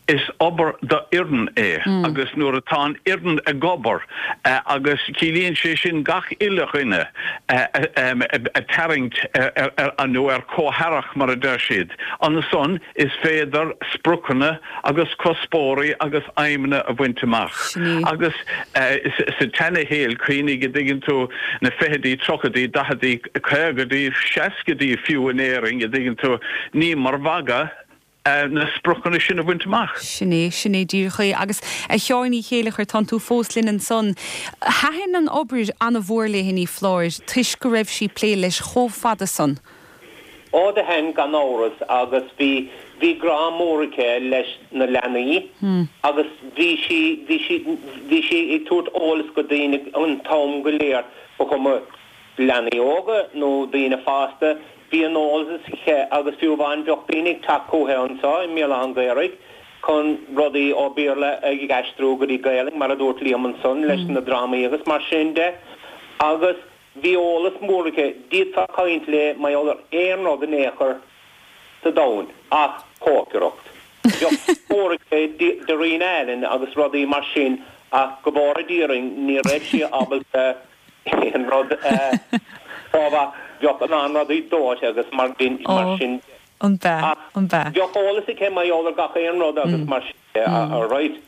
is obair d'fhoireann é agus nuair atá an fhoireann ag obair agus ciallaíonn sé sin gach uile dhuine ag tarraingt ar nó ar comhaireacht mar a deir siad, ansan is féidir spriocanna agus cuspóirí agus aidhmeanna a bhaint amach. Agus sa tseanashaol, cuimhnigh, a dtuigeann tú, na fichidí, tríochaidí, daichidí, caogaidí, seascaidí fiú in Éirinn, a dtuigeann tú, ní mar mhagadh na spriocanna sin a bhaint amach. Sin é, sin é díreach é. Agus a Sheáin Uí Chéilleachair, tánn tú fós linn ansan. Thaitin an obair ana-mhór léi, ní foláir, toisc go raibh sí ag plé leis chomh fada san. Ó do thaitin gan amhras agus bhí, bhí grá mór aici leis na leanaí agus bhí sí, bhí sí, bhí sí ag tabhairt eolas go daoine an t-am go léir, ba chuma leanaí óga nó daoine fásta, bhí an eolas aici agus fiú amháin bheadh daoine ag teacht chuici anseo i mBéal Átha an Ghaorthaidh chun rudaí ó Bhéarla ag aistriú go dtí Gaelainn mar a dúirt Liam ansan leis na drámaí agus mar sin de agus Bhí eolas mór aici, d'fhéadfá caint léi mar gheall ar aon rud in aon chor sa domhan ach cócaireacht. Bheadh scór aici Darina Allen agus rudaí mar sin ach go bhfóire Dia orainn ní raibh sí ábalta aon rud a ach bheadh a lán rudaí dóite agus mar sin de. An b'ea? Ach An b'ea? bheadh eolas aici mar gheall ar gach aon rud agus mar sin de, alright.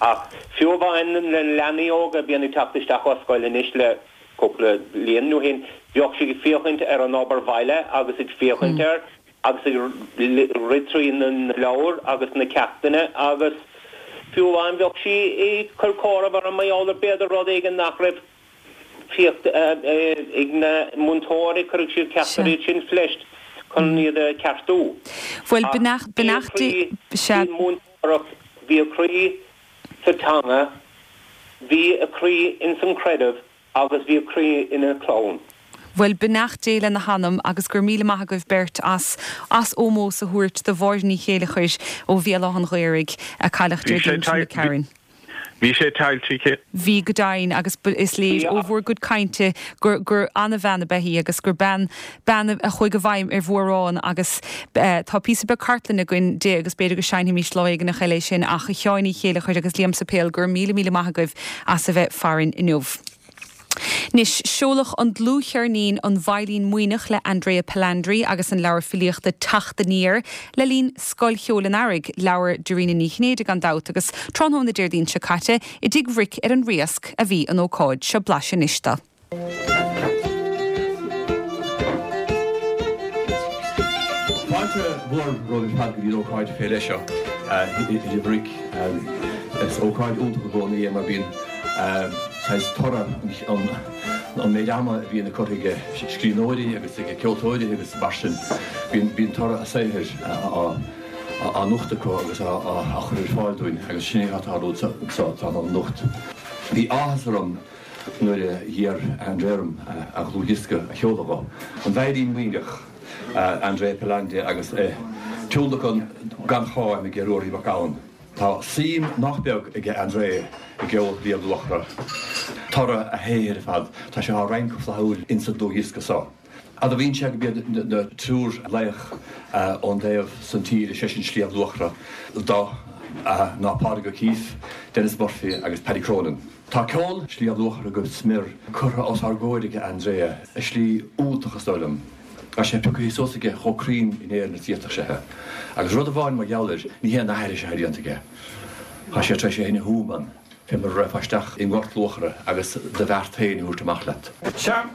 Ach fiú amháin na leanaí óga a bhíonn ag teacht isteach ó scoil anois le cúpla bliain ó shin, bheadh sí ag féachaint ar an obair bhaile agus ag féachaint air agus ag rith trí na leabhair agus na ceachtanna agus fiú amháin bheadh sí ag cur comhaireamh orthu mar gheall ar b'fhéidir rud éigin nach raibh féachta ag na múinteoirí, cuirfidh siad ceacht ar iad sin fleist chun iad a cheartú. Bhuel, Ach bhí a beannacht croí Dé, sea. faoin múinteoireacht, bhí a croí sa teanga, bhí a croí ins an creideamh agus bhí a croí ina clann. Bhuel, beannacht Dé lena hanam agus go raibh míle maith agaibh beirt as as ómós a thabhairt do Mháire Ní Chéilleachair ó Bhéal Átha an Ghaorthaidh, a cailleadh Bhí sé Déardaoin seo imigh tharainn. Bhí sé tuillte aici. Bhí go deimhin agus is léir ó bhur gcuid cainte gur gur an-bhean ab ea í agus gur bean bean a chuaigh i bhfeidhm ar mhórán agus tá píosa beag cartlainne againn di agus b'fhéidir go seinnfimís lá éigineach eile é sin ach a Sheáin Uí Chéilleachair agus Liam Suipéil go raibh míle míle maith agaibh as a bheith farainn inniu. Anois, seoladh an dlúthcheirnín An Veidhlín Maoithneach le Andrea Palandri agus an leabhar filíochta Teacht Aniar le linn Scoil Cheoil an Earraigh, leabhar Dairena Ní Chinnéide gan dabht, agus tráthnóna Déardaoin seo caite i dTigh Bhric ar an Riasc a bhí an ócáid. Seo blaiseadh anois de. Fáilte mhór romhaibh ar fad go dtí an ócáid fé leith seo i dTigh Bhric. Is ócáid iontach i gcónaí é mar bíonn saghas toradh an méid ama a bhíonn curtha ag scríbhneoirí agus ag ceoltóirí agus mar sin, bíonn toradh a saothair á nochtadh acu agus á chur ar fáil dúinn agus sin é atá ag tarlú anseo tráthnóna anocht. Bhí áthas orm nuair a d'iarr André orm a dhlúthdhiosca a sheoladh dó. An Veidhlín Muimhneach, André Pelande agus tionlacan gan cháim ag Ruairí Mac Gabhann. Tá suim nach beag aige André i gceol Shliabh Luachra. Toradh a shaothair ar fad, tá sé á roinnt go flaithiúil insa dlúthdhiosca seo. Admhaíonn sé go mb'iad na triúr laoch ón dtaobh san tíre, sé sin Sliabh Luachra, do ná Pádraig O'Keeffe, Denis Murphy agus Paddy Cronin. Tá ceol Shliabh Luachra go smior curtha os ár gcomhair aige André i slí iontach is dóigh liom. Tá sé pioctha suas aige chomh cruinn in Éirinn is a d'fhéadfadh sé. Agus rud amháin mar gheall air, ní haon aithris atá déanta aige. Tá sé tar éis é féin a thumadh ann, fé mar a rachfá isteach i nGort Luachra agus do bheart féin a thabhairt amach leat. Sea,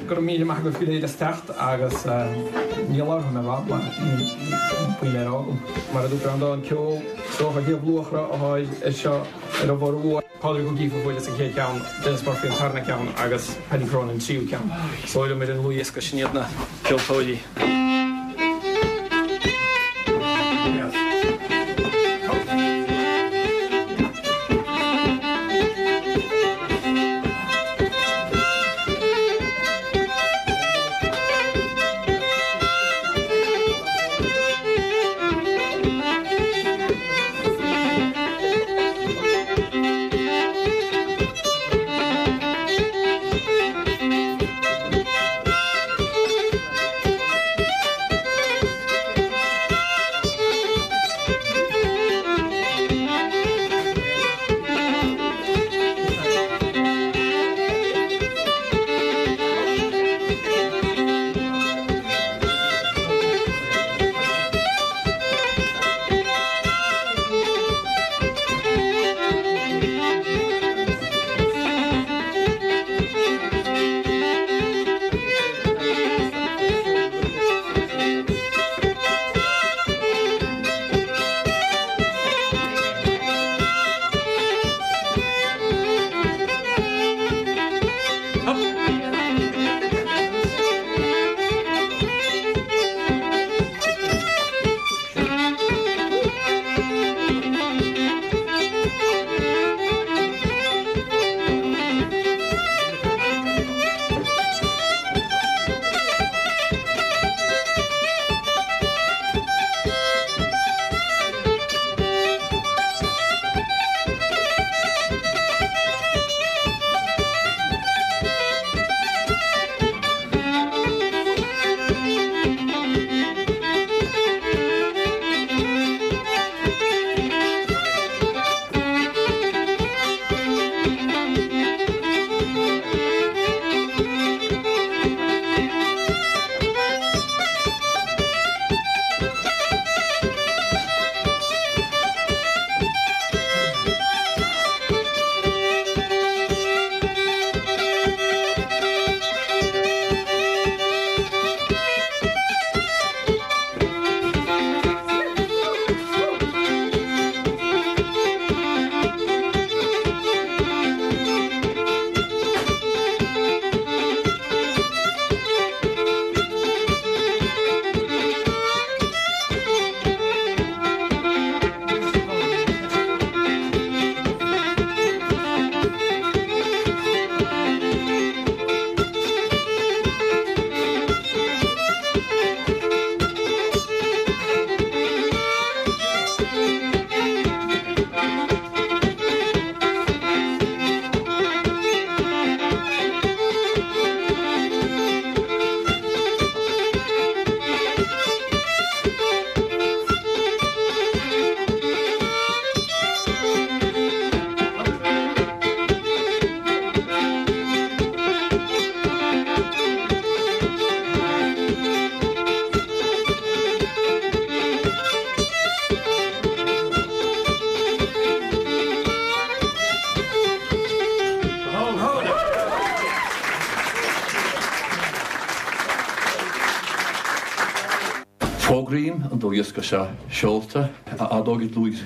go raibh míle maith agaibh go léir as teacht agus ní labharfaidh mé i bhfad mar níl puinn le rá agam. Mar a dúirt Breandán, ceol is dócha Shliabh Luachra atá ar seo ar a bhformhór. Pádraig Ó Cíofa a bhuaileas an chéad cheann, Denis Murphy an tarna ceann agus Paddy Cronin an tríú ceann. Is dóigh liom ar an ndlúthdhiosca sin iad na ceoltóirí. Fógraím an dlúthdhiosca seo seolta, a ardóidh dlús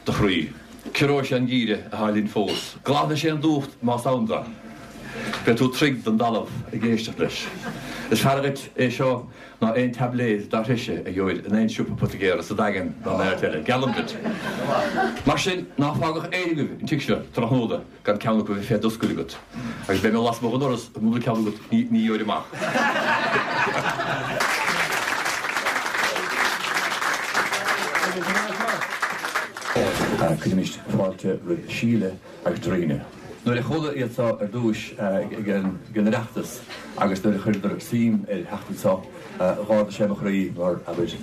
do chroí. Ciorróidh sé an geimhreadh atá linn fós. Glanfaidh sé an dúch más ann dó. Beidh tú troigh den dtalamh ag éisteacht leis. Is fearr duit é seo ná aon taibléad dá threise a gheobhair in aon siopa poitigéara sa Daingean ná in áit eile, geallaim duit. Mar sin, ná fágadh éinne agaibh an tigh seo tráthnóna gan ceann acu a bheith fé d'oscail agat. Agus beidh mé lasmuigh den doras, mura bhfuil ceann agat, ní gheobhair amach. Cuirimis fáilte roimh Síle agus Darina. Nuair a chuala iad seo ar dtúis ag an Oireachtas agus nuair a chuireadar suim ar theacht anseo, dh'ardaigh sé mo chroí mar, abair,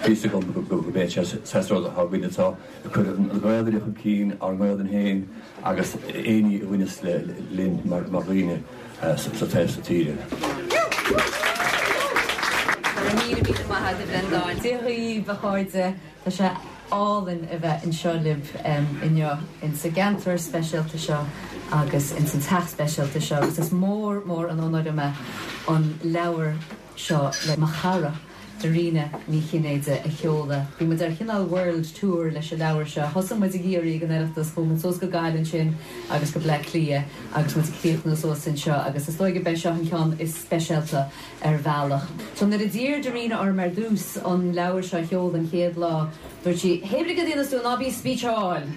bhí fhios agam gurb é an saghas rud atá againn anseo, ag cur an Ghaelainn chun cinn, ár nGaelainn féin agus aon ní a bhaineas linn mar dhaoine sa taobh seo tíre. Go raibh míle míle maith agat, a Bhreandáin. Dia dhaoibh, a chairde. Tá sé álainn a bheith anseo libh inniu insa gceantar speisialta seo agus ins an teach speisialta seo agus is mór mór an onóir dom é an leabhar seo le mo chara Dairena Ní Chinnéide a sheoladh. Bhí muid ar chineál world tour leis an leabhar seo. Thosaigh muid i gCiarraí ag an Oireachtas, chuaigh muid suas go Gaillimh ansin agus go Bleá Cliath agus muid ag críochnú suas anseo agus is dóigh gurb é seo an ceann is speisialta ar bhealach. So nuair a d'iarr Dairena orm ar dtús an leabhar seo a sheoladh an chéad lá, dúirt sí, Hé rud a dhéanas tú, ná bí speecháil!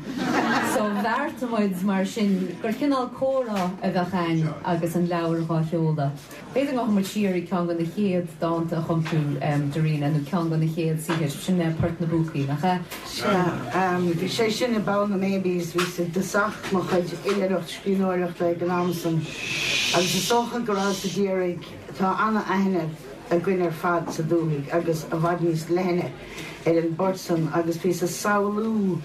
So bheartaigh muid mar sin gur cineál comhrá a bheadh a'ainn agus an leabhar dhá sheoladh. B'fhéidir go ngabhfaidh muid siar ag ceann de na chéad dánta a chum tú, Dairena, nó ceann de na chéad saothair, sin é Port na bPúcaí, nach ea? Sea, bhí sé sin i bPoll na mBabies, bhíos i dtosach mo chuid oilithreacht scríbhneoireachta ag an am san agus is dócha go rabhas ag iarraidh, tá ana-aithne againn ar fad sa dúthaigh agus i bhfad níos leithne ar an bport san agus bhíos ag samhlú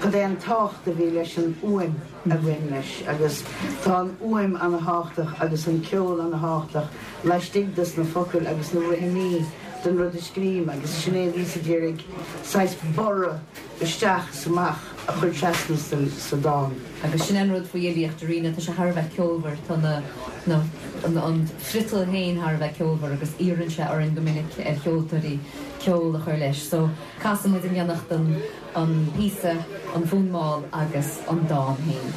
cad é an tábhacht a bhí leis an fhuaim a bhain leis agus tá an fhuaim ana-thábhachtach agus an ceol ana-thábhachtach laistigh dos na focail agus na rithimí den rud a scrím agus sin é a bhíos ag iarraidh saghas borradh isteach is amach a chur trasna sa dán. Agus sin an rud faoi fhilíocht Dairena, tá sé thar a bheith ceolmhar, tá na, na, an friotal féin thar a bheith ceolmhar agus iarrann sé orainn go minic, ar cheoltóirí, ceol a chur leis. So, casfaidh muid in éineacht an, an píosa, an fonn mall agus an dán féin.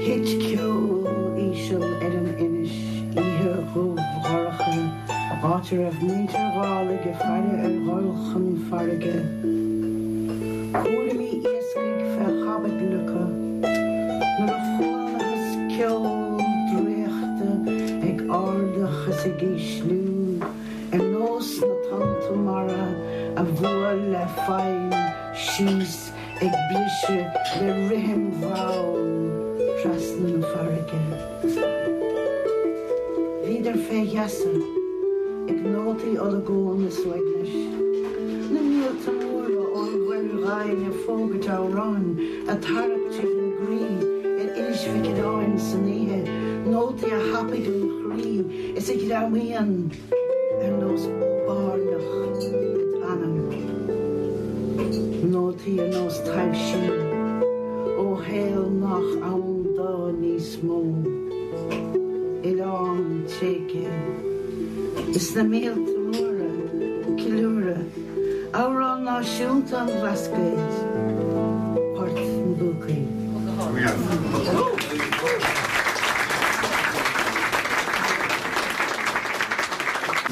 Thit ceo íseal ar an inis oíche dhubh dhorcha, áit a raibh muintir Dhálaigh ag faire ar dhul chun farraige. Cúraimí iascaigh fé chaibidil acu nuair a chualathas ceol draíochta ag ardach is ag ísliú ar nós na tonnta mara a bhuail le faill síos ag briseadh le rithim mhall trasna na farraige. Bhíodar fé gheasa ag nótaí olagóin is uaignis, na míolta móra ón mhuir dhoimhin ag fógairt amhráin ag tarrac tríd an gcroí ar Inis Mhic Aodáin san oíche, nótaí a thapaigh an chroí is a ghreamaíonn ar nós bairneach id anam. Nótaí ar nós taibhsí ó shaol nach ann dó níos mó. Oileán tréigthe is na míolta móra ag ceiliúradh amhrán náisiúnta an Bhlascaoid, Port na bPúcaí.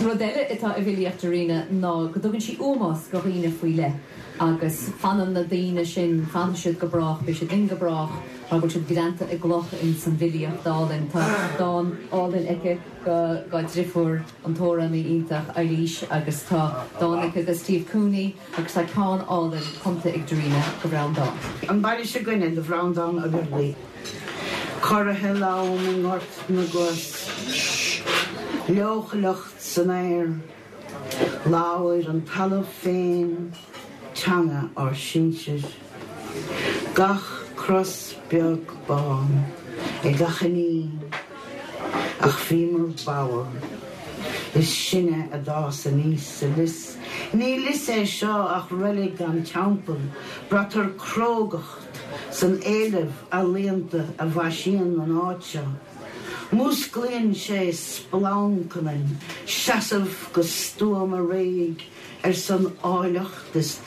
Rud eile atá i bhfilíocht Dairena ná go dtugann sí ómós go dhaoine faoi leith agus fanann na daoine sin, fanfaidh siad go brách, beidh siad linn go brách mar go bhfuil siad greanta i gcloch ins an bhfilíocht álainn. Tá dán álainn aici go dá driofúr, an t-amhránaí iontach Eilís agus tá dán aici do Steve Cooney agus tá ceann álainn cumtha ag Dairena go Bhreandán. An baile seo againne do Bhreandán Ó Beaglaoich. Corraithe lom i nGort na gCos, leochaileacht san aer, Labhair an talamh féin teanga ár sinsir. Gach cros beag bán ag achainí ach bhíomar bodhar. Is sinne a d'fhás aníos sa lios. Ní lios é seo ach reilig gan teampall, braitear crógacht san éileamh ealaíonta a mhaisíonn an áit seo. Músclaíonn sé splanc ionainn seasamh go stuama réidh ar son áilleacht is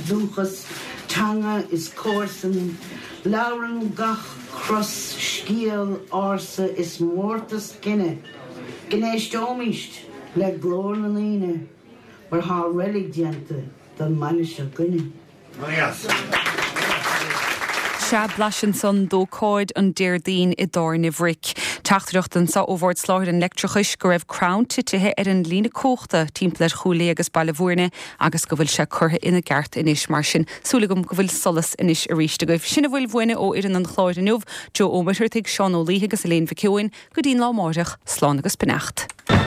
dúchas, teanga is comharsan, labhrann gach cros scéal ársa is mórtas cine, go n-éisteoimist le glór na ndaoine mar tá reilig déanta don mbaile seo 'gainne. Sea, blaiseadh ansan d'ócáid an Déardaoin i dTábhairne Bhric. Teachtaireacht anseo ó Bhord Soláthair an Leictreachais go raibh crann titithe ar an líne cumhachta timpeall ar Chúil Aodha agus Baile Bhúirne agus go bhfuil sé curtha ina gceart anois mar sin súil agam go bhfuil solas anois arís agaibh. Sin a bhfuil uainne ó fhoireann an chláir inniu, Joe Ó Muircheartaigh, Seán Ó Laoithe agus Elaine Mhic Eoin, go dtí'n lá amárach, slán agus beannacht.